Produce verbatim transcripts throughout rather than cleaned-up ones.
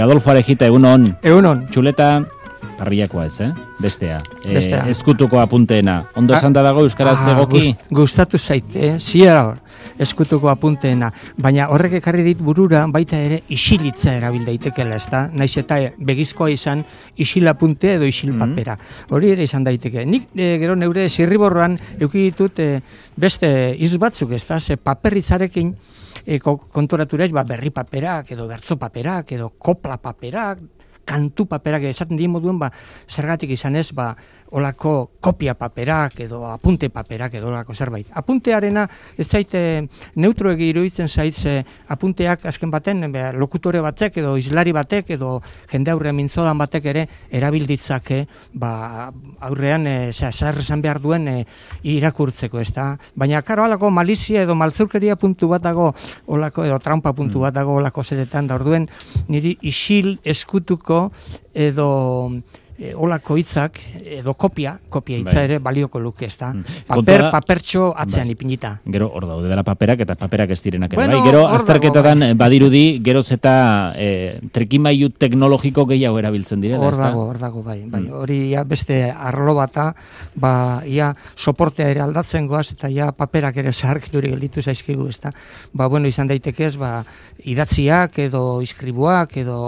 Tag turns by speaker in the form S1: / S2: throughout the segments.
S1: Adolfo Arejita, egunon.
S2: Egunon.
S1: Txuleta, parriakoa ez, eh? Bestea.
S2: Bestea.
S1: E, ezkutuko apunteena. Ondo esan da dago euskaraz
S2: ah,
S1: egoki?
S2: Gust, gustatu zaite, ziera hor, eskutuko apunteena. Baina horrek ekarri dit burura baita ere isilitza erabil daitekela, ez da? Naiz eta begizkoa izan isil apunte edo isil papera. Hori ere izan daiteke. Nik e, gero neure zirriborroan eduki ditut e, beste iz batzuk, ez da? Ze paperitzarekin E, konturatu ez, ba, berri paperak, edo bertzo paperak, edo kopla paperak, kantu paperak, esaten dien moduen, ba, zergatik izan ez, ba, olako kopia paperak, edo apunte paperak, edo olako zerbait. Apuntearena, ez zaite, neutroegi iruditzen zaitze, apunteak azken baten, be, lokutore batek, edo islari batek, edo jende aurre mintzodan batek ere, erabilditzake, ba, aurrean, e, zer esan behar duen, e, irakurtzeko, ez da? Baina, karo, olako malizia edo maltzurkeria puntu bat dago, olako, edo trampa puntu bat dago, olako zeretan, da orduen, niri isil eskutuko, edo e, olako hitzak, edo kopia, kopia hitza bai. Ere balioko luke, ez da? Paper, papertxo atzean bai. Ipinita.
S1: Gero hor daude dela paperak eta paperak ez direnak.
S2: Bueno,
S1: bai? Gero azterketatan
S2: bai.
S1: Badirudi, geroz eta e, trikimailu teknologiko gehiago erabiltzen direla,
S2: hor dago, hor dago, bai. bai. Mm. Hori ja beste arlo bata, ba, ia soportea ere aldatzen goaz, eta ja paperak ere zaharkiturik gelditu zaizkigu, ez da? Ba, bueno, izan daitekez, ba, idatziak, edo iskribuak, edo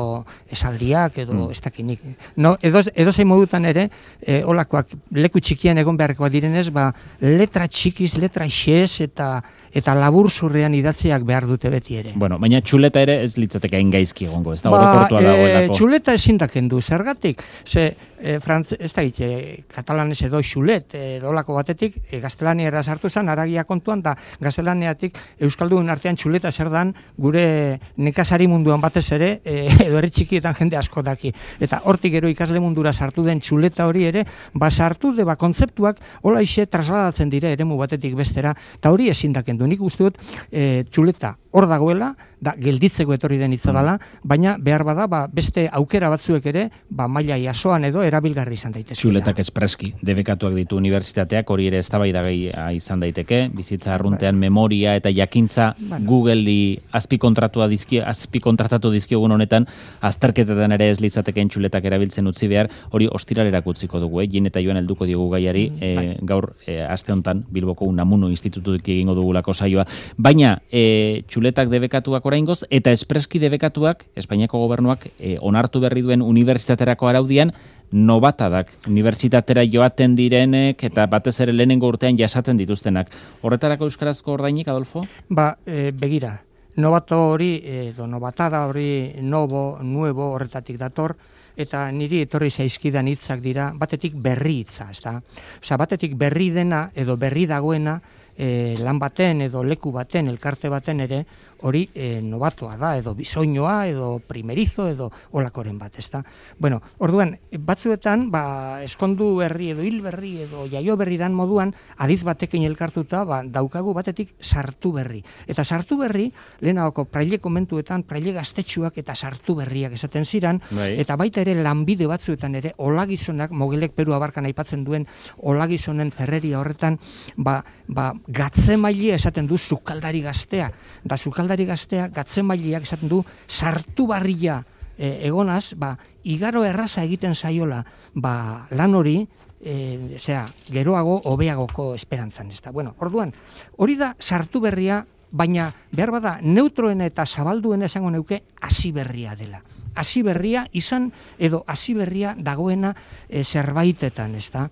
S2: esaldiak, edo mm. ez dakinik. No, edo edo zein modutan ere, e, olakoak leku txikian egon beharrekoa direnez, ba, letra txikiz, letra xez eta eta labur zurrean idatziak behar dute beti ere.
S1: Bueno, baina txuleta ere ez litzateke hain gaizki egongo, ez da?
S2: Ba,
S1: Orokortua dagoelako.
S2: Txuleta ezin dakendu, zergatik? Ze, e, frantz, ez da hitze, katalanez edo xulet, edo olako batetik, e, gaztelaniera sartu zen, aragia kontuan, da gaztelaniatik euskaldun artean txuleta zer dan, gure nekazari munduan batez ere, e, edo herri txikietan jende asko daki. Eta hortik gero ikasle mundura sartu den txuleta hori ere, ba sartu de ba kontzeptuak hola ixe trasladatzen dire eremu batetik bestera, eta hori ezin dakendu. Nik uste dut e, txuleta hor dagoela, da gelditzeko etorri den hitza dela, baina behar bada ba, beste aukera batzuek ere, ba maila jasoan edo erabilgarri izan daitezke.
S1: Txuletak espreski debekatuak ditu unibertsitateak, hori ere eztabaidagai izan daiteke, bizitza arruntean bai. Memoria eta jakintza bueno. Googleri azpikontratua dizki azpikontratatu dizkiogun honetan, azterketetan ere ez litzateken txuletak erabiltzen utzi behar, hori ostiralerak utziko dugu, eh? Jin eta joan helduko diogu gaiari, mm, bai. e, gaur e, aste hontan Bilboko Unamuno Institututik egingo dugulako saioa, baina e, txuletak debekatuak oraingoz eta espreski debekatuak Espainiako gobernuak e, onartu berri duen unibertsitaterako araudian nobatadak, unibertsitatera joaten direnek eta batez ere lehenengo urtean jasaten dituztenak. Horretarako euskarazko ordainik, Adolfo?
S2: Ba, e, begira, nobato hori, edo nobatada hori, nobo, nuevo horretatik dator, eta niri etorri zaizkidan hitzak dira, batetik berri hitza, ez da? Osea, batetik berri dena edo berri dagoena, E, lan baten edo leku baten, elkarte baten ere, hori e, nobatoa da, edo bisoinoa, edo primerizo, edo olakoren bat, ezta? Bueno, orduan, batzuetan, ba, eskondu berri edo hil berri edo jaio berri dan moduan, adiz batekin elkartuta, ba, daukagu batetik sartu berri. Eta sartu berri, lehenagoko praile komentuetan, praile gaztetxuak eta sartu berriak esaten ziran, bai. Eta baita ere lanbide batzuetan ere, olagizonak, Mogilek Peru abarkan aipatzen duen, olagizonen ferreria horretan, ba, ba, gatzemailea esaten du sukaldari gaztea, da sukaldari gaztea gatzemaileak esaten du sartu barria e, egonaz, ba, igaro erraza egiten zaiola, ba, lan hori, e, zera, geroago hobeagoko esperantzan, ez da. Bueno, orduan, hori da sartu berria, baina behar bada neutroen eta zabalduen esango neuke hasi berria dela. Hasi berria izan edo hasi berria dagoena e, zerbaitetan, ez da.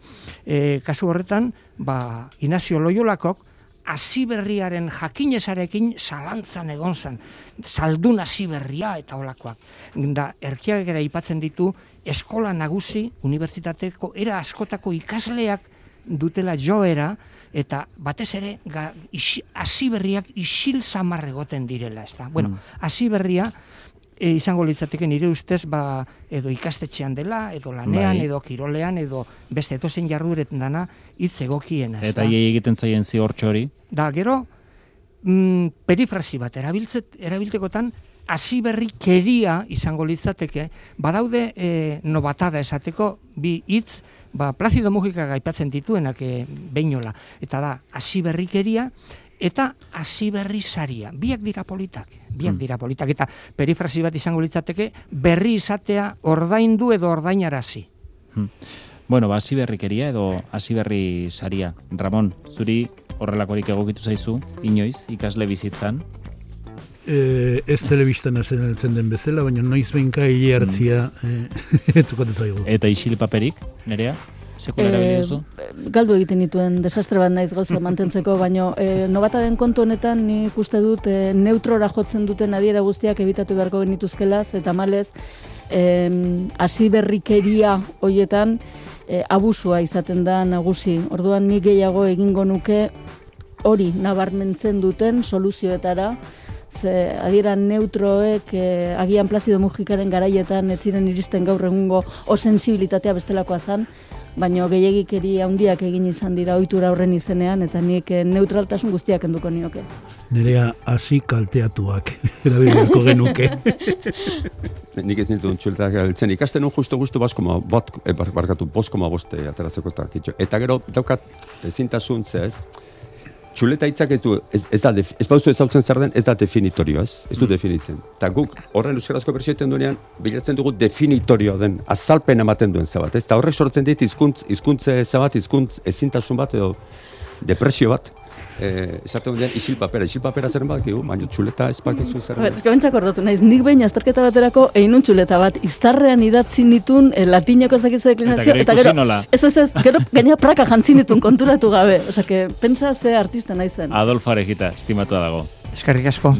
S2: E, kasu horretan, ba, Inazio Loiolakok hasi berriaren jakinezarekin zalantzan egon zen, zaldun hasi berria eta olakoak. Da, erkiak ere aipatzen ditu eskola nagusi, unibertsitateko era askotako ikasleak dutela joera, eta batez ere hasi berriak isil samar egoten direla, ez da. Bueno, hasi berria E, izango litzateke nire ustez ba, edo ikastetxean dela, edo lanean, bai. Edo kirolean, edo beste edozein jarduretan dana hitz egokiena.
S1: Eta hiei egiten zaien ziortxo hori?
S2: Da, gero, mm, perifrasi bat erabiltzet, erabiltekotan, hasi berri keria izango litzateke, badaude e, nobatada esateko bi hitz, ba, Plazido Mujika aipatzen dituenak e, beinola. Eta da, hasi berri keria, eta hasi berri saria. Biak dira politak, biak dira politak, eta perifrasi bat izango litzateke berri izatea ordaindu edo ordainarazi.
S1: Hmm. Bueno, ba, hasi berrikeria edo hasi berri saria. Ramon, zuri horrelakorik egokitu zaizu, inoiz, ikasle bizitzan?
S3: Eh, ez telebistan azen den bezala, baina noiz behinka hile hartzia etukatu zaigu.
S1: Eta isil paperik, Nerea? Sekula erabili duzu?
S4: Galdu egiten dituen desastre bat naiz gauza mantentzeko, baina e, nobata den kontu honetan nik uste dut e, neutrora jotzen duten adiera guztiak ebitatu beharko genituzkelaz, eta malez hasi berrikeria hoietan e, abusua izaten da nagusi. Orduan nik gehiago egingo nuke hori nabarmentzen duten soluzioetara, ze adiera neutroek e, agian Plazido Mujikaren garaietan ez ziren iristen gaur egungo o sensibilitatea bestelakoa zan, baina gehiagikeri handiak egin izan dira ohitura horren izenean, eta nik neutraltasun guztiak enduko nioke.
S3: Nerea hasi kalteatuak, erabileko genuke.
S5: Nik ez nintu txuletak erabiltzen. Ikasten nun justu-justu baskoma, bat, e, barkatu, boskoma boste ateratzeko eta kitxo. Eta gero daukat ezintasun ez, txuleta hitzak ez du, ez, ez da, ez bauzu ezautzen zer den, ez da definitorio, ez, ez du definitzen. Eta guk horren euskarazko bersioetan duenean, bilatzen dugu definitorio den, azalpen ematen duen zabat, ez? Eta horrek sortzen dit izkuntz, izkuntze zabat, izkuntz ezintasun bat edo depresio bat. Eh, esaten duenean isil papera, isil papera zeren bat, baina txuleta ez bakizu zeren.
S4: Ez gabentzak ordatu naiz, nik behin azterketa baterako einun txuleta bat, iztarrean idatzi nitun eh, latineko ezakitze deklinazio, eta gero, ez ez ez, gero gaina praka jantzi nitun konturatu gabe, osea, que pensa ze artista naizen.
S1: Adolfo Arejita, estimatua dago.
S2: Eskerrik asko.